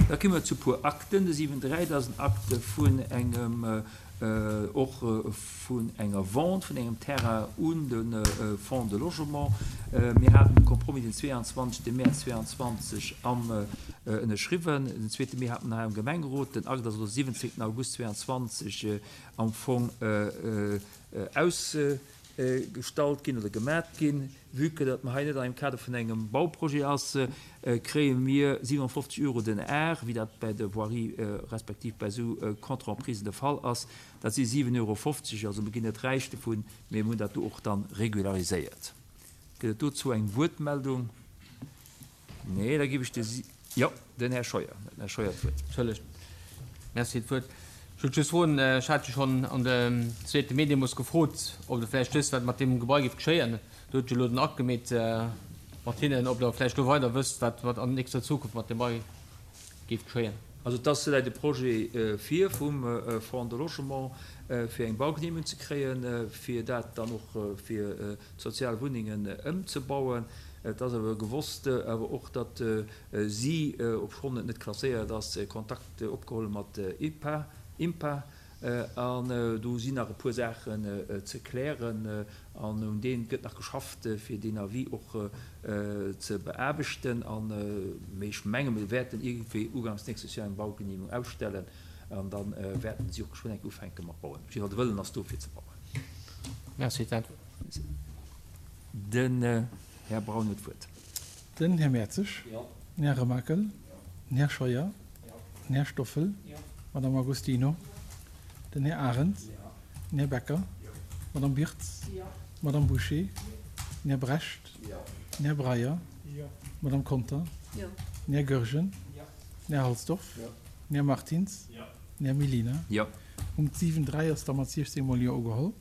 Da komme mer zu e puer Akten. De 7, 3, dat ass en Akte vun engem, och vun enger Vente vun engem Terrain un de Fonds de Logement. Mir haten de Compromis den 22. Mäerz 22 am ënnerschriwwen. Den zweete Mee hate mer hei am Gemengerot. Den Akt ass elo 17. August 22 am Fong ausgestallt ginn oder gemat ginn. Vue que datt mer hei net an engem Kader vun engem Bauprojet ass, kréie mir 57 Euro den Ar, wéi dat bei der Voirie respektiv bei esou Contre-emprisen de Fall ass. Dat si 7,50 Euro. Also mir ginn net räich dovun, mee mir hunn dat do och dann regulariséiert. Gëtt et dozou eng Wuertmeldung? Nee, da géif ech de, jo, den Här Scheuer, den Här Scheuer d'Wuert. Entschëllegt. Merci fir d'Wuert. Ech wollt just froen, ech hat jo schonn an dem zweete Mee deemools gefrot, ob Der vläicht wësst, wat mat deem Gebai géif geschéien. Do hutt jo elo den Akt gemeet mat hinnen, ob Der vläicht elo weider wësst, wat mat an nächster Zukunft mat deem Gebai géif geschéien. Also et ass, läit e Projet vir vum Fonds de Logement, fir eng Baugenehmegung ze kréien, fir dat dann och fir sozial Wunnengen ëmzebauen. Et ass awer gewosst awer och, datt si, obschonn et net klasséiert ass, Kontakt opgeholl mat IPA, IMPA, an do sinn nach e puer Saachen ze klären an un deem gëtt nach geschafft, fir deen Avis och ze beaarbechten. An, mee ech menge mir wäerten iergendwéi ugangs nächstes Joer eng Baugenehmegung ausstellen an da wäerten si och geschwënn eng Kéier ufänke mat bauen. Op jidde Fall de Wëllen ass do fir ze bauen. Merci. Den Här Braun huet d'Wuert. Den Här Mertzig. Den Här Remakel. Den Här Scheuer. Den Här Stoffel. D'Madame Agostino. Den Här Arendt. Den Här Becker. D'Madame Birtz. D'Madame Bouché. Den Här Brecht. Den Här Breyer. D'Madame Conter. Den Här Goergen. Den Här Halsdorf. Den Här Martins. Den Här Mellina. Punkt 7, 3 ass da mat 16 mol Jo ugeholl.